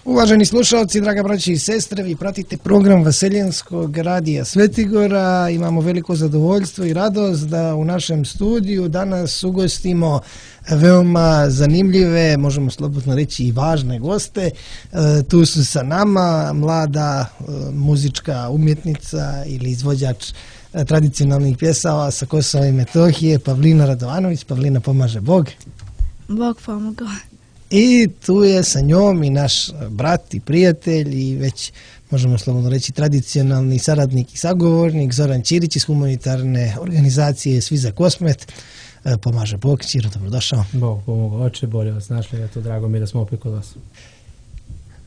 Uvaženi slušalci, draga braći i sestre, vi pratite program Vaseljenskog radija Svetigora. Imamo veliko zadovoljstvo i radost da u našem studiju danas ugostimo veoma zanimljive, možemo slobodno reći i važne goste. Tu su sa nama mlada muzička umjetnica ili izvođač tradicionalnih pjesava sa Kosova i Metohije, Pavlina Radovanović. Pavlina, pomaže Bog. Bog pomogao. I tu je sa njom i naš brat i prijatelj i već možemo slobodno reći tradicionalni saradnik i sagovornik Zoran Ćirić iz humanitarne organizacije Svi za Kosmet. Pomaže Bog. Ćiro, dobrodošao. Bog pomogao, oče, bolje vas našli, eto, drago mi je da smo opet kod vas.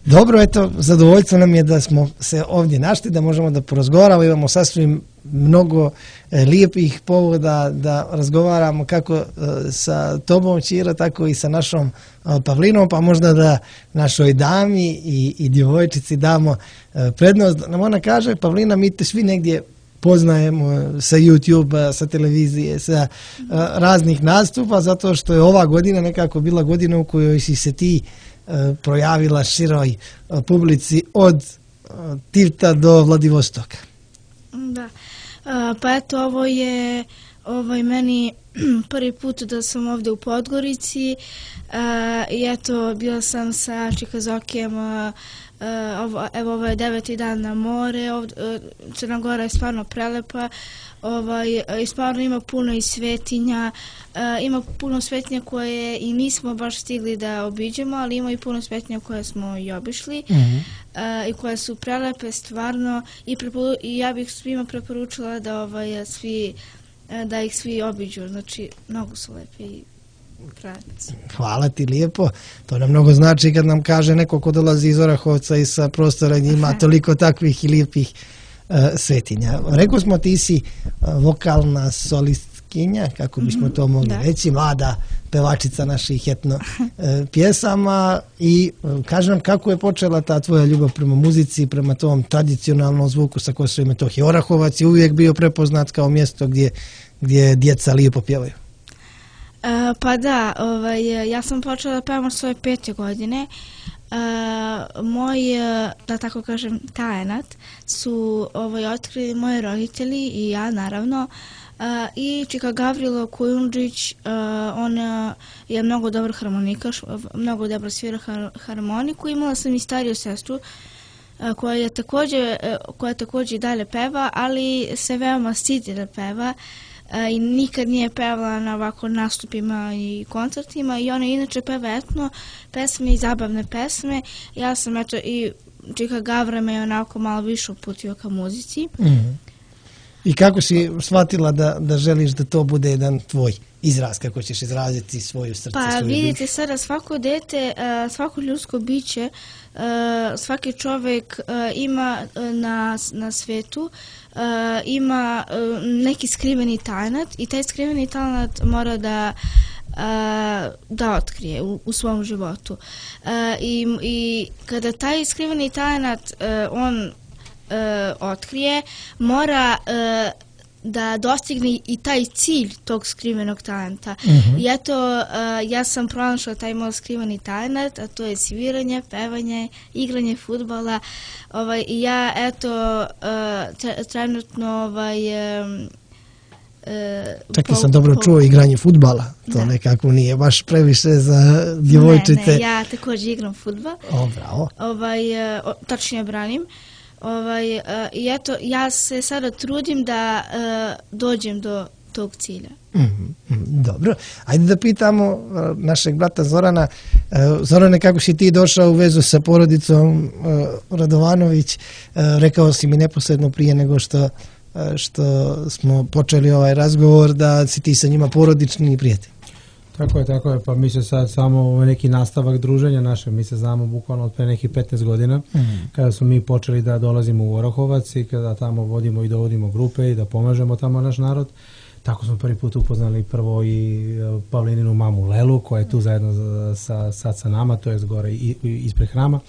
Dobro, eto, zadovoljstvo nam je da smo se ovdje našli, da možemo da porazgovaramo, imamo sasvim mnogo lijepih povoda da razgovaramo kako sa tobom, Ćiro, tako i sa našom Pavlinom, pa možda da našoj dami i djevojčici damo prednost. Nam ona kaže, Pavlina, mi te svi negdje poznajemo sa YouTube, sa televizije, sa raznih nastupa, zato što je ova godina nekako bila godina u kojoj si se ti projavila široj publici od Tivta do Vladivostoka. Da, pa eto, ovo je meni prvi put da sam ovdje u Podgorici i eto, bila sam sa Čika Zokijem, evo ovo je 9. dan na more, Crna Gora je stvarno prelepa, i stvarno ima puno i svetinja, ima puno svetinja koje i nismo baš stigli da obiđemo, ali ima i puno svetinja koje smo i obišli i koje su prelepe stvarno i ja bih svima preporučila da da ih svi obiđu, znači mnogo su lepe i prelepe. Hvala ti lijepo, to nam mnogo znači kad nam kaže neko ko dolazi iz Orahovca i sa prostora njima toliko takvih i lijepih svetinja. Rekao smo, ti si vokalna solistkinja, kako bismo to mogli reći, mlada pevačica naših etno pjesama i kaži nam kako je počela ta tvoja ljubav prema muzici, prema tom tradicionalnom zvuku sa Kosova i Metohije. Orahovac je uvijek bio prepoznat kao mjesto gdje djeca lijepo pjevaju. Pa da, ja sam počela da pevam svoje 5. godine. Moj, da tako kažem, talenat su otkrili moji roditelji i ja, naravno, i Čika Gavrilo Kujundžić, on je mnogo dobar harmonikaš, mnogo dobro svira harmoniku. Imala sam i stariju sestru koja također i dalje peva, ali se veoma stidi da peva i nikad nije pevala na ovako nastupima i koncertima i ona inače peva etno pesme i zabavne pesme. Ja sam eto i Čika Gavra me onako malo više uputio ka muzici. I kako si shvatila da želiš da to bude jedan tvoj izraz, kako ćeš izraziti svoju srce? Pa vidite sada, svako dete, svako ljudsko biće, svaki čovjek ima na svetu, ima neki skriveni talenat i taj skriveni talenat mora da otkrije u svom životu. I kada taj skriveni talenat on otkrije, mora da dostigne i taj cilj tog skrivenog talenta. I eto, ja sam pronašla taj moj skriveni talent, a to je sviranje, pevanje, igranje fudbala. I ja, eto, trenutno Čekaj, sam dobro čuo igranje fudbala. To nekako nije baš previše za djevojčice. Ne, ja također igram fudbal. Bravo. Tačnije branim. I eto, ja se sada trudim da dođem do tog cilja. Dobro. Ajde da pitamo našeg brata Zorana. Zorane, kako si ti došao u vezu sa porodicom Radovanović? Rekao si mi neposredno prije nego što smo počeli ovaj razgovor da si ti sa njima porodični prijatelj. Tako je, pa mi se sad samo neki nastavak druženja naše, mi se znamo bukvalno od pre nekih 15 godina, kada smo mi počeli da dolazimo u Orahovac i kada tamo vodimo i dovodimo grupe i da pomažemo tamo naš narod. Tako smo prvi put upoznali prvo i Pavlininu mamu Lelu, koja je tu zajedno sad sa nama, to je gore ispred hrama.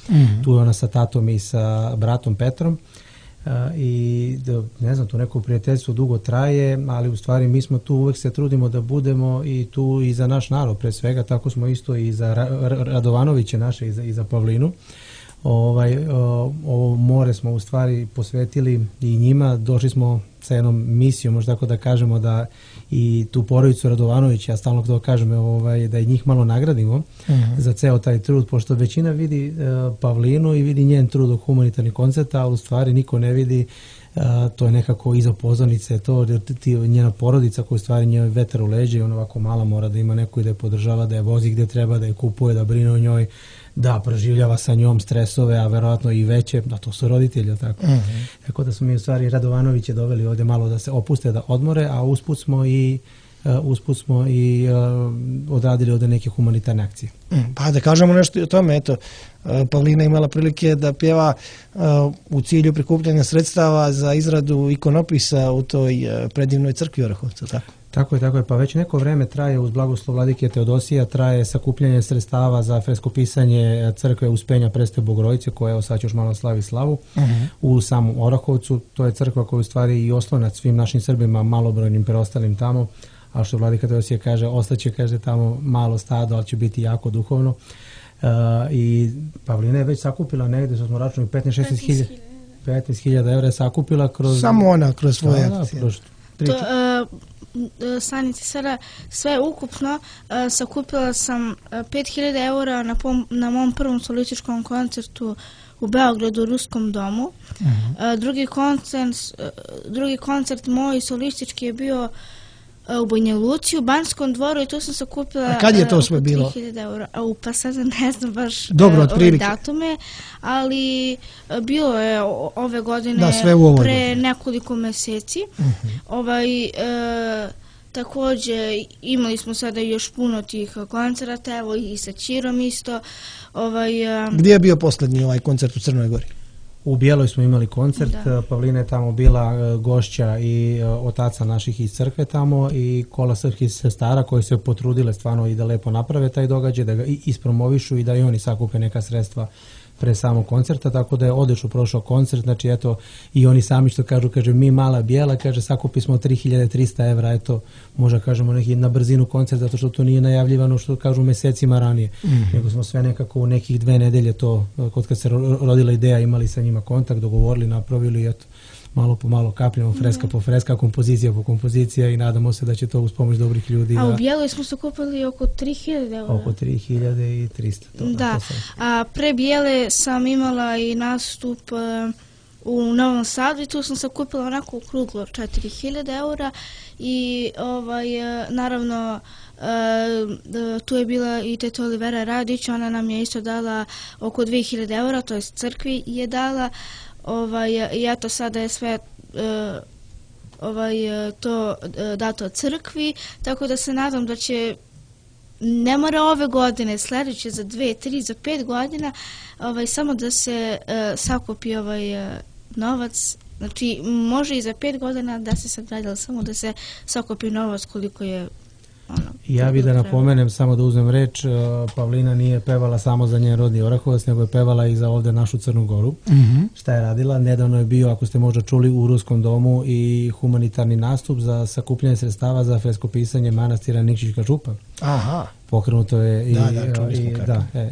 Tu je ona sa tatom i sa bratom Petrom. I ne znam, to neko prijateljstvo dugo traje, ali u stvari mi smo tu, uvek se trudimo da budemo i tu i za naš narod pre svega, tako smo isto i za Radovanoviće naše i za Pavlinu. ovo more smo u stvari posvetili i njima, došli smo sa jednom misijom, možda tako da kažemo, da i tu porodicu Radovanović, ja stalno to kažem, da i njih malo nagradimo za ceo taj trud, pošto većina vidi Pavlinu i vidi njen trud u humanitarnih koncerta, a u stvari niko ne vidi, to je nekako iza pozornice, to njena porodica koja u stvari njoj vetar u leđe i ona ovako mala mora da ima neku i da je podržava, da je vozi gde treba, da je kupuje, da brine o njoj, da proživljava sa njom stresove, a verovatno i veće, da to su roditelji, tako. Tako da smo mi u stvari Radovanoviće doveli ovdje malo da se opuste, da odmore, a usput smo i odradili ovdje neke humanitarne akcije. Pa da kažemo nešto i o tome, eto, Pavlina imala prilike da pjeva u cilju prikupljanja sredstava za izradu ikonopisa u toj predivnoj crkvi Orahovca, tako? Tako je, pa već neko vreme traje uz blagoslov vladike Teodosija, traje sakupljanje sredstava za freskopisanje crkve Uspenja Presve Bogorodice, koja evo sad još malo slavi slavu u samom Orahovcu. To je crkva koja u stvari i oslonac svim našim Srbima, malobrojnim preostalim tamo, a što vladika Teodosija kaže, ostaće, kaže, tamo malo stado, ali će biti jako duhovno. I Pavlina je već sakupila negde, što smo računali, 15.000 evra je sakupila kroz... Samo ona, kroz svoje akcije. Stanice sada sve ukupno sakupila sam 5.000 eura na mom prvom solističkom koncertu u Beogradu u Ruskom domu. Drugi koncert moj solistički je bio u Banja Luci, u Banskom dvoru, i tu sam sakupila... A kad je to sve bilo? 3.000 eura. Pa sad ne znam baš ove datume, ali bilo je ove godine pre nekoliko meseci. Također imali smo sada još puno tih koncerata, evo i sa Čirom isto. Gdje je bio posljednji ovaj koncert u Crnoj Gori? U Bijeloj smo imali koncert, Pavlina je tamo bila gošća i otaca naših iz crkve tamo i kola srpskih sestara koje se potrudile stvarno i da lepo naprave taj događaj, da ga ispromovišu i da i oni sakupe neka sredstva pre samog koncerta, tako da je odlično prošao koncert, znači eto i oni sami što kažu, kaže mi mala bijela, kaže sakupi smo 3.300 evra, eto možda kažemo neki na brzinu koncert, zato što to nije najavljivano što kažu mesecima ranije, nego smo sve nekako u nekih 2 nedelje to, kad se rodila ideja, imali sa njima kontakt, dogovorili, napravili, eto malo po malo kapljamo, freska po freska, kompozicija po kompozicija i nadamo se da će to uz pomoć dobrih ljudi. A u Bijeloj smo sakupili oko 3.000 eura. Oko 3.300. Da, a pre Bijele sam imala i nastup u Novom Sadu i tu sam sakupila onako okruglo 4.000 eura i naravno tu je bila i teta Olivera Radić, ona nam je isto dala oko 2.000 eura, to je crkvi je dala. I eto sada je sve to dato crkvi, tako da se nadam da će, ne mora ove godine, sljedeće za 2, 3, za 5 godina, samo da se sakupi novac, znači može i za 5 godina da se sagradila, samo da se sakupi novac koliko je. Ja bih da napomenem, samo da uzmem reč, Pavlina nije pevala samo za njen rodni Orahovac, nego je pevala i za ovdje našu Crnu Goru. Šta je radila? Nedavno je bio, ako ste možda čuli, u Ruskom domu i humanitarni nastup za sakupljanje sredstava za freskopisanje manastira Nikšićka župa. Pokrenuto je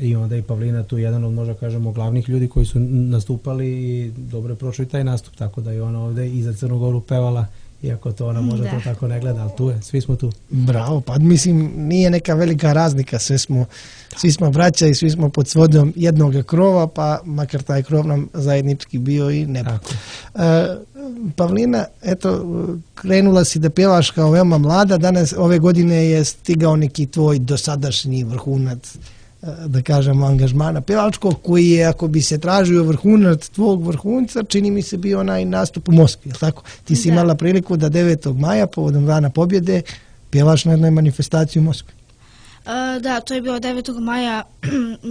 i onda i Pavlina tu jedan od, možda kažemo, glavnih ljudi koji su nastupali i dobro je prošao i taj nastup, tako da je ona ovdje i za Crnu Goru pevala. Iako to ona možda to tako ne gleda, ali tu je, svi smo tu. Bravo, pa mislim nije neka velika razlika, svi smo braća i svi smo pod svodom jednog krova, pa makar taj krov nam zajednički bio i nebo. Pavlina, eto, krenula si da pjevaš kao veoma mlada, danas ove godine je stigao neki tvoj dosadašnji vrhunac, da kažemo, angažmana pjevačkog, koji je, ako bi se tražio vrhunac tvog vrhunca, čini mi se bio onaj nastup u Moskvi, je li tako? Ti si imala priliku da 9. maja, povodom Dana pobjede, pjevaš na jednoj manifestaciji u Moskvi. Da, to je bilo 9. maja,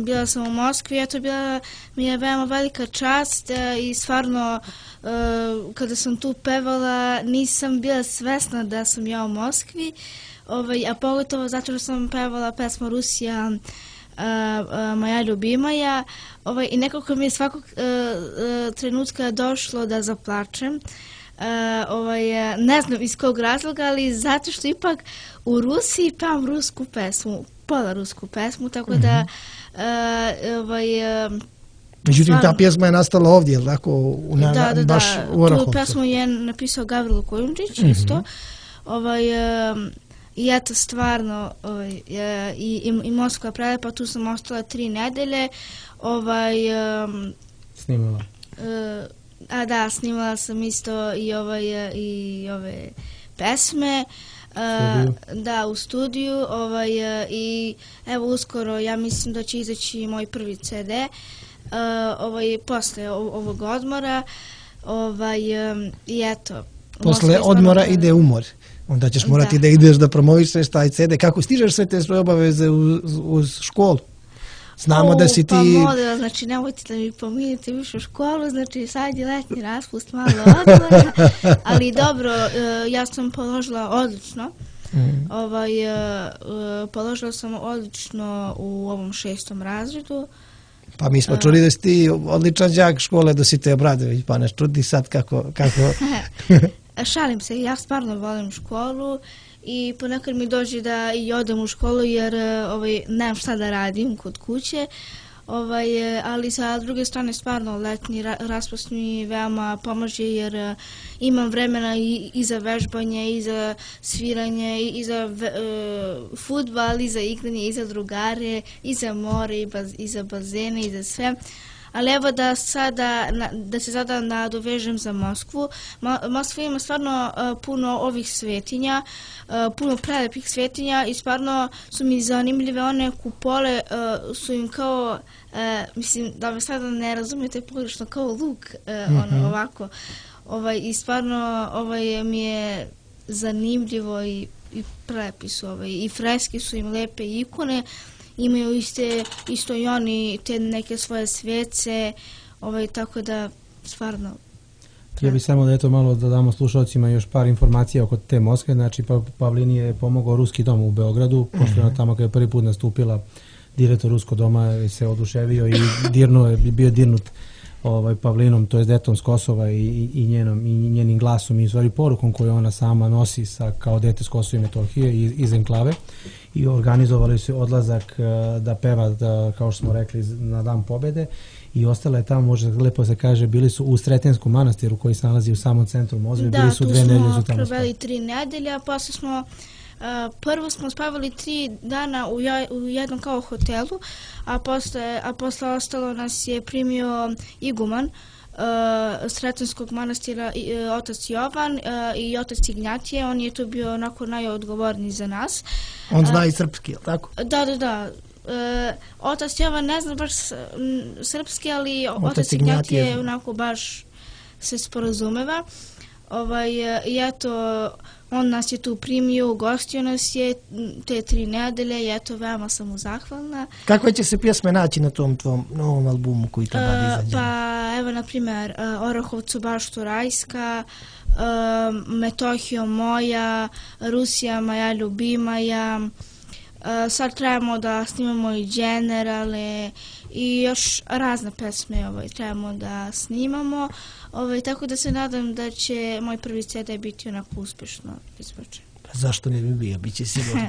bila sam u Moskvi, eto mi je veoma velika čast i stvarno kada sam tu pevala nisam bila svesna da sam ja u Moskvi, a pogotovo zato što sam pevala pesmu Rusija, moja ljubimaja, i nekako mi je svakog trenutka došlo da zaplačem. Ne znam iz kog razloga, ali zato što ipak u Rusiji pevam rusku pesmu, pola rusku pesmu, tako da Međutim, ta pjesma je nastala ovdje, je li tako? Baš u Orahovcu. Tu pjesmu je napisao Gavrilo Kojundžić, isto. I eto, stvarno, i Moskva je prelepa, tu sam ostala 3 nedelje. Snimala. Snimala sam isto i ove pesme. Da, u studiju. I evo, uskoro, ja mislim da će izaći moj prvi CD. Posle ovog odmora. I eto. Posle odmora ide umor. Onda ćeš morati da ideš da promovišeš taj CD. Kako stižeš sve te svoje obaveze uz školu? Znamo da si ti... Pa molim, znači nemojte da mi pominjete više u školu, znači sad je letnji raspust, malo odmora, ali dobro, ja sam položila odlično. Položila sam odlično u ovom 6. razredu. Pa mi smo čuli da si ti odličan đak škole Dositej Obradović, pa nas čudi sad kako... Šalim se, ja stvarno volim školu i ponekad mi dođe da i odem u školu jer nemam šta da radim kod kuće, ali sa druge strane stvarno letnji raspust mi veoma pomaže jer imam vremena i za vežbanje, i za sviranje, i za fudbal, i za igranje, i za drugare, i za more, i za bazene, i za sve. Ali evo da se sada nadovežem za Moskvu. Moskva ima stvarno puno ovih svetinja, puno prelepih svetinja i stvarno su mi zanimljive. One kupole su im kao, mislim da me sada ne razumijete pogrešno, kao luk, ovako. I stvarno mi je zanimljivo i prelepi su. I freske su im lepe ikone. Imaju isto i oni te neke svoje svece, tako da stvarno... Ja bih samo da malo da damo slušalcima još par informacija oko te Moskve. Znači, Pavlini je pomogao Ruski dom u Beogradu, pošto je tamo kada je prvi put nastupila direktor Ruskog doma se oduševio i bio dirnut Pavlinom, to je detom s Kosova i njenim glasom i stvari porukom koju ona sama nosi kao dete s Kosova i Metohije iz enklave. I organizovali su odlazak da peva, kao što smo rekli, na Dan pobede i ostala je tamo, može lepo se kaže, bili su u Sretenskom manastiru koji se nalazi u samom centru Moskve, bili su 2 nedelje. Da, tu smo proveli 3 nedelje, a posle smo prvo smo spavali 3 dana u jednom kao hotelu, a posle ostalo nas je primio iguman Sretenskog manastira, otac Jovan i otac Ignjatije. On je tu bio onako najodgovorniji za nas. On zna i srpski, je li tako? Da. Otac Jovan ne zna baš srpski, ali otac Ignjatije onako baš se sporazumeva. I eto, on nas je tu primio, ugostio nas je te 3 nedelje i eto, veoma sam mu zahvalna. Kakve će se pjesme naći na tom tvom novom albumu koji treba da izađe? Pa evo, na primjer, Orahovcu baštu rajska, Metohijo moja, Rusija moja ljubimaja, sad trebamo da snimamo i Generale i još razne pesme trebamo da snimamo, tako da se nadam da će moj prvi CD biti onako uspješno izbačen. Zašto ne bi bio, bit će sigurno.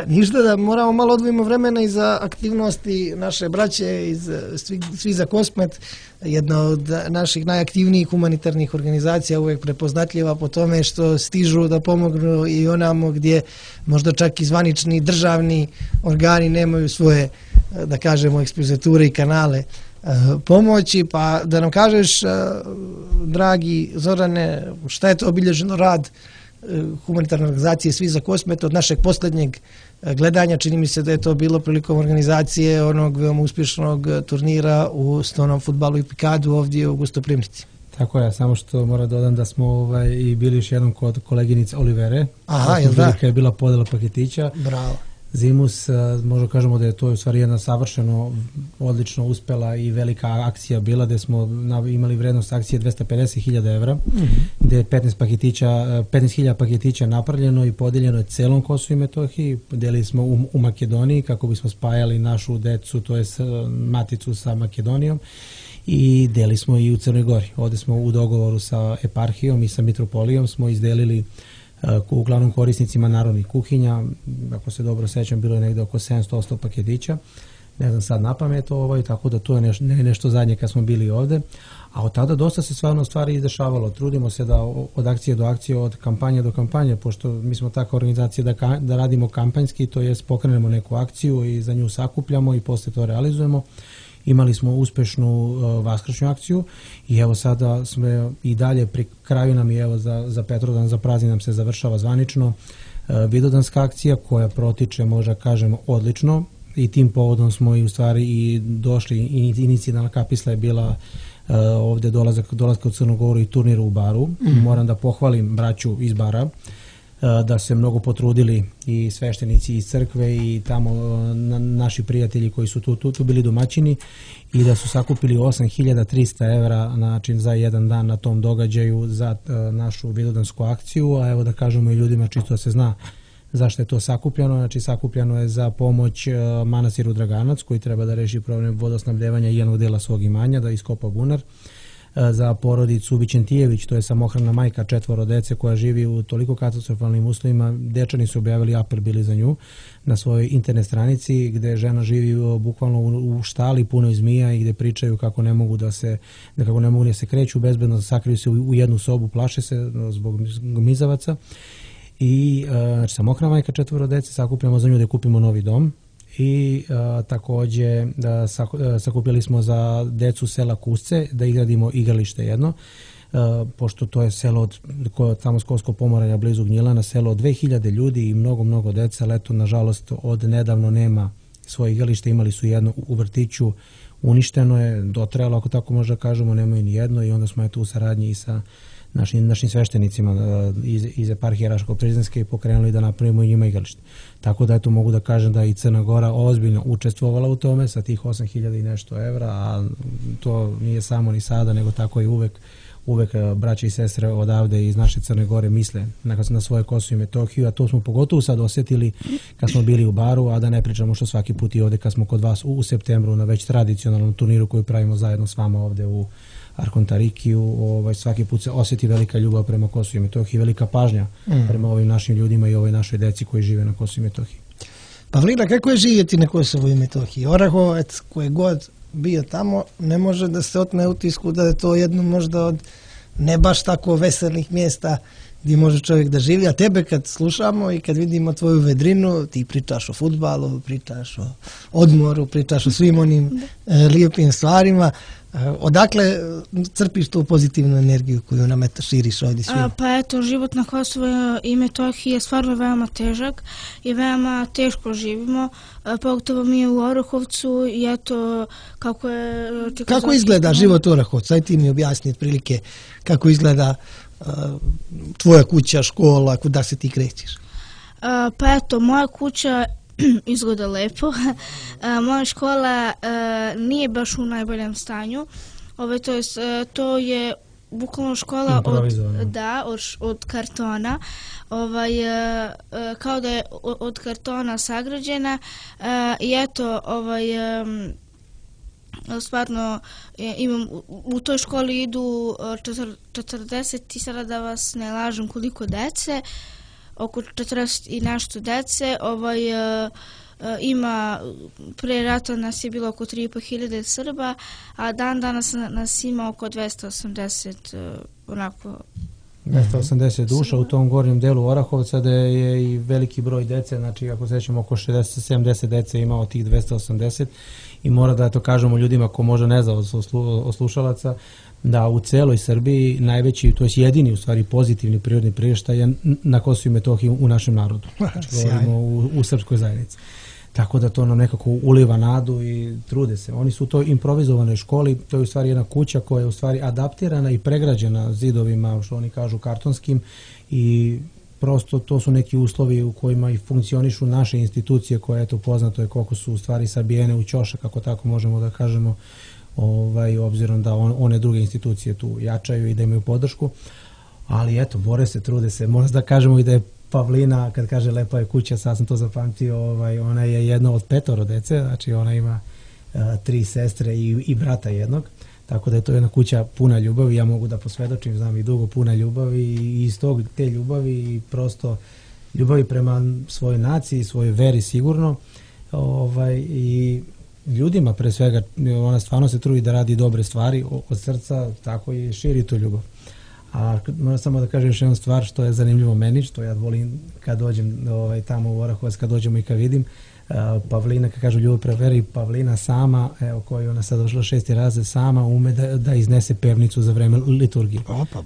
Ništa da moramo malo odvojimo vremena i za aktivnosti naše braće, svi za Kosmet. Jedna od naših najaktivnijih humanitarnih organizacija, uvijek prepoznatljiva po tome što stižu da pomognu i onamo gdje možda čak i zvanični državni organi nemaju svoje, da kažemo, ekspoziture i kanale pomoći. Pa da nam kažeš, dragi Zorane, šta je to obilježeno rad humanitarne organizacije Svi za Kosmet od našeg posljednjeg gledanja? Čini mi se da je to bilo prilikom organizacije onog veoma uspješnog turnira u stonom fudbalu i pikadu ovdje u Gustoprimnici. Tako je, samo što moram dodam da smo i bili još jednom kod koleginice Olivere. Aha, jel da? Kada je bila podela paketića. Bravo. Zimus, možda kažemo da je to u stvari jedna savršeno, odlično uspela i velika akcija bila, gde smo imali vrednost akcije 250.000 evra, gde je 15.000 paketića napravljeno i podeljeno je celom Kosovu i Metohiji. Delili smo u Makedoniji kako bismo spajali našu decu, to je maticu sa Makedonijom, i delili smo i u Crnoj Gori. Ovde smo u dogovoru sa eparhijom i sa mitropolijom smo izdelili uglavnom korisnicima narodnih kuhinja. Ako se dobro sećam, bilo je negde oko 700 paketića. ne znam sad na pamet, tako da to je nešto zadnje kad smo bili ovde. A od tada dosta se stvarno stvari izdešavalo. Trudimo se da od akcije do akcije, od kampanje do kampanje, pošto mi smo takva organizacija da radimo kampanjski, to jest pokrenemo neku akciju i za nju sakupljamo i posle to realizujemo. Imali smo uspešnu vaskršnju akciju i evo sada smo i dalje pri kraju nam je, evo za Petrodan, za praznik nam se završava zvanično Vidovdanska akcija koja protiče, možda kažemo, odlično i tim povodom smo i u stvari i došli, inicijalna kapisla je bila ovde dolazka u Crnu Goru i turnira u Baru. Moram da pohvalim braću iz Bara da se mnogo potrudili i sveštenici iz crkve i tamo naši prijatelji koji su tu bili domaćini i da su sakupili 8.300 evra za jedan dan na tom događaju za našu vidovdansku akciju, a evo da kažemo i ljudima čisto da se zna zašto je to sakupljeno. Znači sakupljeno je za pomoć manastiru Draganac koji treba da reši problem vodosnabdevanja jednog dela svog imanja, da iskopa bunar, za porodicu Vićentijević, to je samohrana majka 4 dece koja živi u toliko katastrofalnim uslovima. Dečani su objavili apel bili za nju na svojoj internet stranici gde žena živi bukvalno u štali punoj zmija i gde pričaju kako ne mogu da se kreću bezbedno, sakriju se u jednu sobu, plaše se zbog mizavaca. I samohrana majka 4 dece, sakupljamo za nju da kupimo novi dom i takođe sakupili smo za decu sela Kusce da izgradimo igralište jedno, pošto to je selo tamo Skovsko Pomoravlje blizu Gnjilana, selo od 2000 ljudi i mnogo deca, ali eto nažalost od nedavno nema svoje igralište, imali su jedno u vrtiću, uništeno je, dotrajalo ako tako možda kažemo, nemaju ni jedno i onda smo eto u saradnji i sa našim sveštenicima iz eparhije Raško-Prizrenske i pokrenuli da napravimo i njima igralište. Tako da eto mogu da kažem da i Crna Gora ozbiljno učestvovala u tome sa tih 8.000 i nešto evra, a to nije samo ni sada, nego tako i uvek braće i sestre odavde iz naše Crne Gore misle na svoje Kosovo i Metohiju, a to smo pogotovo sad osjetili kad smo bili u Baru, a da ne pričamo što svaki put i ovde kad smo kod vas u septembru na već tradicionalnom turniru koju pravimo zajedno s vama ovde u Arkontarikiju, svaki put se osjeti velika ljubav prema Kosovu i Metohiji, velika pažnja prema ovim našim ljudima i ovoj našoj deci koji žive na Kosovu i Metohiji. Pavlina, kako je živjeti na Kosovu i Metohiji? Orahovac koji god bio tamo ne može da se otme utisku da je to jedno možda od ne baš tako veselih mjesta gdje može čovjek da živi, a tebe kad slušamo i kad vidimo tvoju vedrinu, ti pričaš o fudbalu, pričaš o odmoru, pričaš o svim onim lijepim stvarima. Odakle crpiš tu pozitivnu energiju koju nam širiš ovdje svima? Pa eto, život na Kosovu i Metohiji je stvarno veoma težak i veoma teško živimo, pogotovo mi u Orahovcu i eto kako je... Kako izgleda život u Orahovcu? Aj ti mi objasni otprilike kako izgleda tvoja kuća, škola, kuda se ti krećeš? Pa eto, moja kuća izgleda lepo. Moja škola nije baš u najboljem stanju. To je bukvalno škola od kartona. Kao da je od kartona sagrađena i eto stvarno u toj školi idu 40 i sada da vas ne lažem koliko dece, oko 40 i nešto dece. Ima, pre rata nas je bilo oko 3.500 Srba, a dan danas nas ima oko 280 onako 280 duša u tom gornjem delu Orahovca, da je i veliki broj dece, znači ako se ćemo oko 60-70 dece ima od tih 280 i mora da to kažemo ljudima ko možda ne zna od slušalaca, da u celoj Srbiji najveći, to je jedini u stvari pozitivni prirodni priraštaj je na Kosovu i Metohiji u našem narodu. Znači govorimo u srpskoj zajednici. Tako da to nam nekako uliva nadu i trude se. Oni su u toj improvizovanoj školi, to je u stvari jedna kuća koja je u stvari adaptirana i pregrađena zidovima, što oni kažu kartonskim, i prosto to su neki uslovi u kojima i funkcionišu naše institucije koje, eto, poznato je koliko su u stvari sabijene u ćošak, kako tako možemo da kažemo, obzirom da one druge institucije tu jačaju i da imaju podršku, ali eto, bore se, trude se. Možda da kažemo i da je Pavlina, kad kaže lepa je kuća, sad sam to zapamtio, ona je jedna od 5 dece, znači ona ima 3 sestre i brata jednog, tako da je to jedna kuća puna ljubavi, ja mogu da posvedočim, znam i dugo, puna ljubavi i iz te ljubavi i prosto ljubavi prema svojoj naciji, svojoj veri sigurno, i ljudima pre svega, ona stvarno se trudi da radi dobre stvari od srca, tako i širi tu ljubav. A moram samo da kažem još jednu stvar što je zanimljivo meni, što ja volim kad dođem tamo u Orahovac, kad dođemo i kad vidim, Pavlina, kad kažu ljudi preveri, Pavlina sama, evo koju ona sad došla 6. razred, sama ume da iznese pevnicu za vreme liturgije.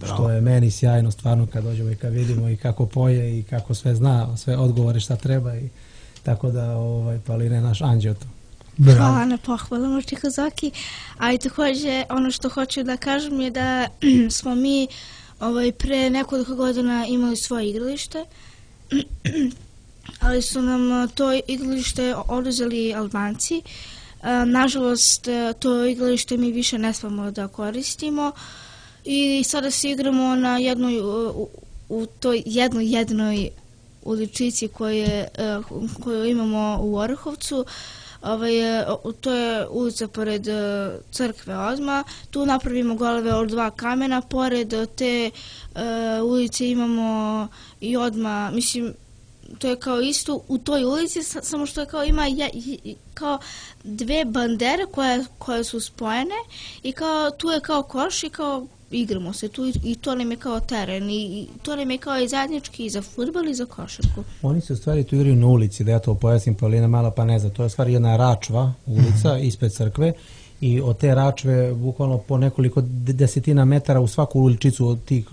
Što je meni sjajno stvarno kad dođemo i kad vidimo i kako poje i kako sve zna, sve odgovore šta treba i tako da Pavlina je naš anđeo to. Hvala na pohvalama Čikazoki, a i također ono što hoću da kažem je da smo mi pre nekoliko godina imali svoje igralište, ali su nam to igralište oduzeli Albanci. Nažalost, to igralište mi više ne smemo da koristimo i sada se igramo na u toj jednoj uličici koju imamo u Orahovcu. To je ulica pored crkve odmah. Tu napravimo golove od 2 kamena. Pored te ulice imamo i odmah, mislim, to je kao isto u toj ulici, samo što je kao ima kao 2 bandere koje su spojene i kao tu je kao koš i kao igramo se tu i to nam je kao teren i to nam je kao i zajednički i za fudbal i za košarku. Oni se u stvari tu igraju na ulici, da ja to pojasnim, Paulina mala pa ne zna, to je u stvari jedna račva ulica ispred crkve i od te račve bukvalno po nekoliko desetina metara u svaku uličicu od tih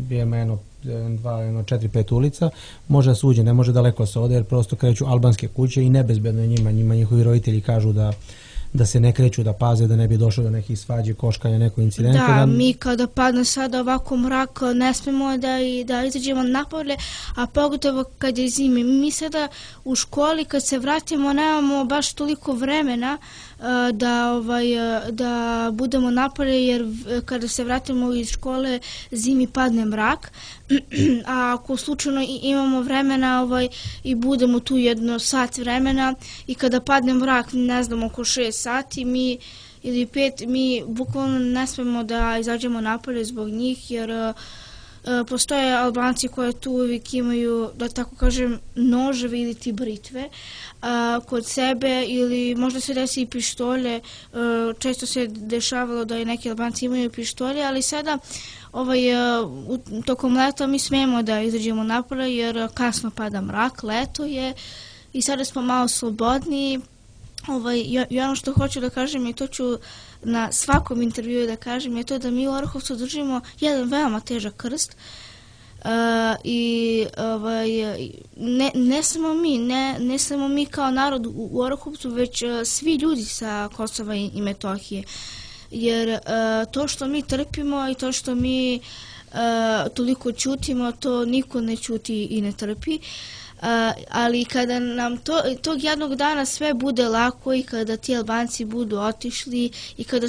jedno 4-5 ulica može da se uđe, ne može daleko se ode jer prosto kreću albanske kuće i nebezbedno je njima njihovi roditelji kažu da se ne kreću, da paze, da ne bi došlo do nekih svađe, koškanja, nekog incidenta. Da, mi kada padne sada ovako mrak, ne smemo da izađemo napolje, a pogotovo kad je zimi. Mi sada u školi, kad se vratimo, nemamo baš toliko vremena da budemo napolje, jer kada se vratimo iz škole, zimi padne mrak, a ako slučajno imamo vremena i budemo tu jedno sat vremena i kada padne mrak, ne znam, oko 6 sati, ili 5, mi bukvalno ne smemo da izađemo napolje zbog njih, jer postoje Albanci koje tu uvijek imaju, da tako kažem, noževe ili ti britve kod sebe ili možda se desi i pištolje. Često se dešavalo da i neki Albanci imaju pištolje, ali sada tokom leta mi smemo da izađemo napolje jer kasno pada mrak, leto je i sada smo malo slobodniji. I ono što hoću da kažem i to ću na svakom intervjuu da kažem je to da mi u Orahovcu držimo jedan veoma težak krst i ne samo mi kao narod u Orahovcu, već svi ljudi sa Kosova i Metohije, jer to što mi trpimo i to što mi toliko ćutimo, to niko ne ćuti i ne trpi. Ali kada nam tog jednog dana sve bude lako i kada ti Albanci budu otišli i kada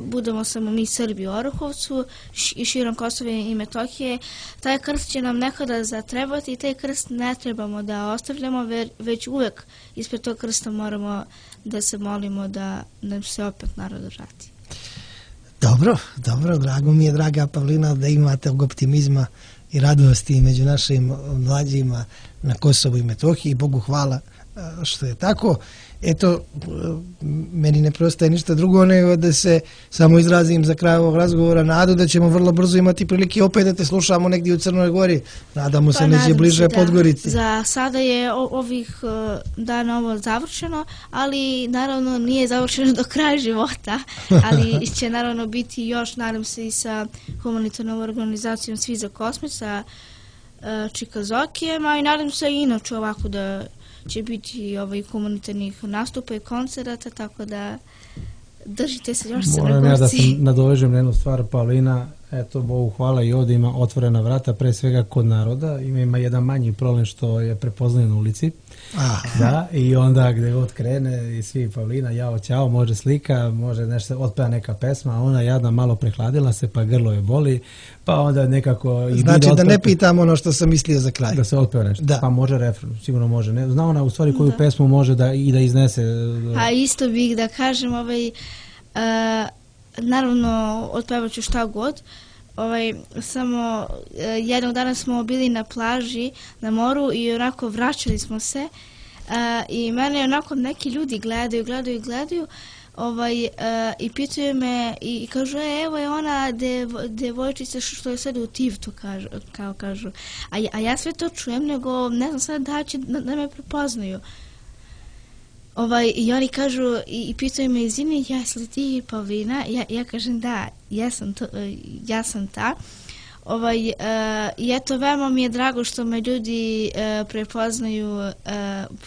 budemo samo mi Srbi u Orahovcu i širom Kosova i Metohije, taj krst će nam nekada zatrebati i taj krst ne trebamo da ostavljamo, već uvek ispred tog krsta moramo da se molimo da nam se opet narod vrati. Dobro, drago mi je, draga Pavlina, da imate optimizma i radosti među našim mlađima na Kosovu i Metohiji. Bogu hvala što je tako. Eto, meni ne preostaje ništa drugo nego da se samo izrazim za kraj ovog razgovora nadu da ćemo vrlo brzo imati prilike opet da te slušamo negdje u Crnoj Gori. Nadamo se neđe bliže Podgorici. Za sada je ovih dana ovo završeno, ali naravno nije završeno do kraja života, ali će naravno biti još, nadam se, i sa humanitarnom organizacijom Svi za kosmos, sa Čikazokijema i nadam se i inače ovako da će biti humanitarnih nastupa i koncerata, tako da držite se još Crnogorci. Moram ja da se nadovežem na jednu stvar, Paulina, eto, Bogu hvala i ovdje ima otvorena vrata, pre svega kod naroda, ima jedan manji problem što je prepoznaje na ulici, da, i onda gdje god krene i svi Paulina, jao, ćao, može slika, može nešto, otpeva neka pesma, a ona jadna malo prehladila se, pa grlo je boli, pa onda nekako... Znači da ne pitam ono što sam mislio za kraj. Da se otpeva nešto, pa može refren, sigurno može, ne, zna ona u stvari koju pesmu može da iznese. A isto bih da kažem, naravno otpevat ću šta god, samo jednog dana smo bili na plaži na moru i onako vraćali smo se I mene onako neki ljudi gledaju i pitaju me i kažu, evo je ona devojčica što je sad u Tivtu, kažu. A ja sve to čujem, nego ne znam sad da će da me prepoznaju. I oni kažu i pitaju me, izvini, jesi li ti Pavlina? Ja kažem da, ja sam ta. I eto, veoma mi je drago što me ljudi prepoznaju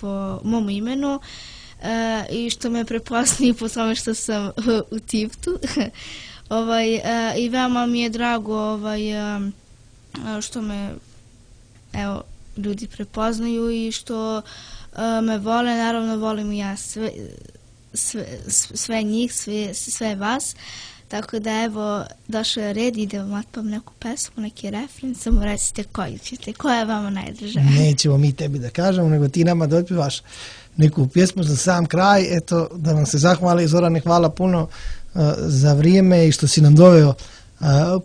po mom imenu i što me prepoznaju po tome što sam u Tivtu. I veoma mi je drago što me ljudi prepoznaju i što me vole, naravno volim i ja sve njih, sve vas. Tako da evo, došao je red i da vam otpavam neku pesmu, neki refren, samo recite koju ćete, koja je vama najdraža. Nećemo mi tebi da kažemo, nego ti nama da otpivaš neku pjesmu za sam kraj. Eto, da vam se zahvali, Zorane, hvala puno za vrijeme i što si nam doveo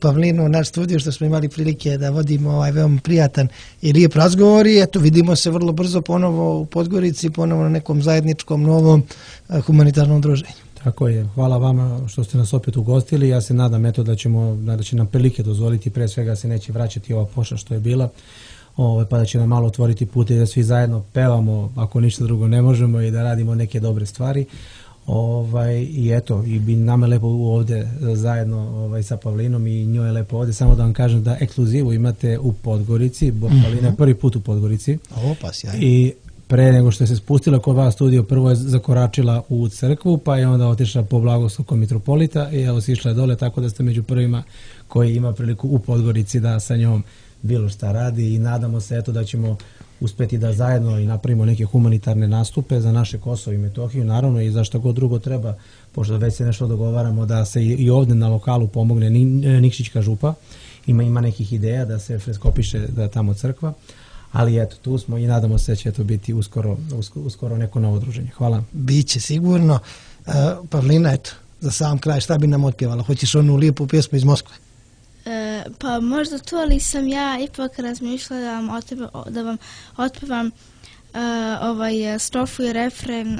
Pavlinu u naš studio, što smo imali prilike da vodimo ovaj veoma prijatan i lijep razgovor i eto, vidimo se vrlo brzo ponovo u Podgorici, ponovo na nekom zajedničkom novom humanitarnom druženju. Tako je, hvala vama što ste nas opet ugostili. Ja se nadam da će nam prilike dozvoliti, pre svega se neće vraćati ova pošast što je bila, pa da će nam malo otvoriti put i da svi zajedno pevamo, ako ništa drugo ne možemo, i da radimo neke dobre stvari. I eto, i bi nama je lepo ovdje zajedno sa Pavlinom i njoj je lepo ovdje. Samo da vam kažem da ekskluzivu imate u Podgorici, Pavlina je prvi put u Podgorici. I pre nego što je se spustila kod vas studio, prvo je zakoračila u crkvu, pa je onda otišla po blagoslovu mitropolita i evo si išla dole, tako da ste među prvima koji ima priliku u Podgorici da sa njom bilo šta radi i nadamo se eto da ćemo uspjeti da zajedno i napravimo neke humanitarne nastupe za naše Kosovo i Metohiju, naravno i za što god drugo treba, pošto već se nešto dogovaramo da se i ovdje na lokalu pomogne Nikšićka župa, ima nekih ideja da se freskopiše da je tamo crkva. Ali eto, tu smo i nadamo se da će to biti uskoro neko novo druženje. Hvala. Biće sigurno. Pavlina, eto, za sam kraj, šta bi nam otpjevala? Hoćeš onu lijepu pjesmu iz Moskve? Pa možda to, ali sam ja ipak razmišljala da vam otpevam strofu i refren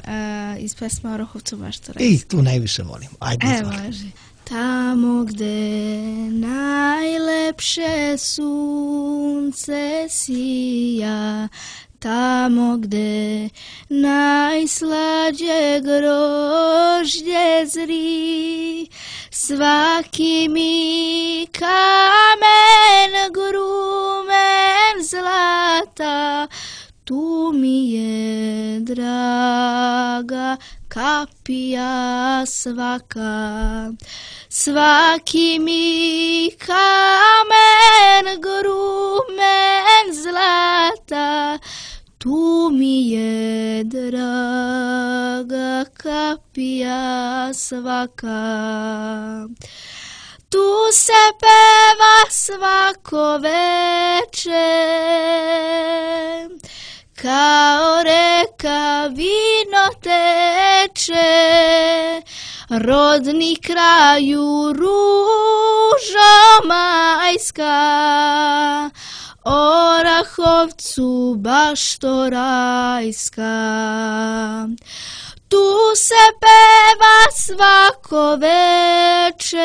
iz pesma Orahovcu Baštora. I tu najviše volim. Ajde, može. Tamo gde najlepše sunce sija, tamo gde najslađe grožđe zri, svaki mi kamen grumen zlata, tu mi je draga kapija svaka. Svaki mi kamen grumen zlata, tu mi je draga kapija svaka. Tu se peva svako veče, kao reka vino teče, rodni kraju ružo majska, Orahovcu Bašto rajska. Tu se peva svako veče,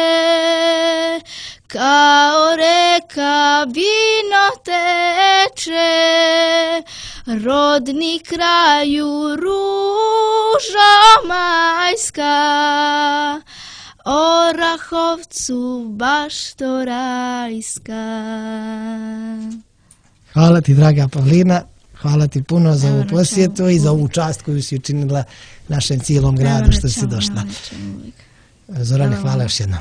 kao reka vino teče, rodni kraju ružo majska, Orahovcu Bašto rajska. Hvala ti, draga Pavlina, hvala ti puno za ovu posjetu i za ovu čast koju si učinila našem cijelom gradu što si došla. Zorane, hvala još jednom.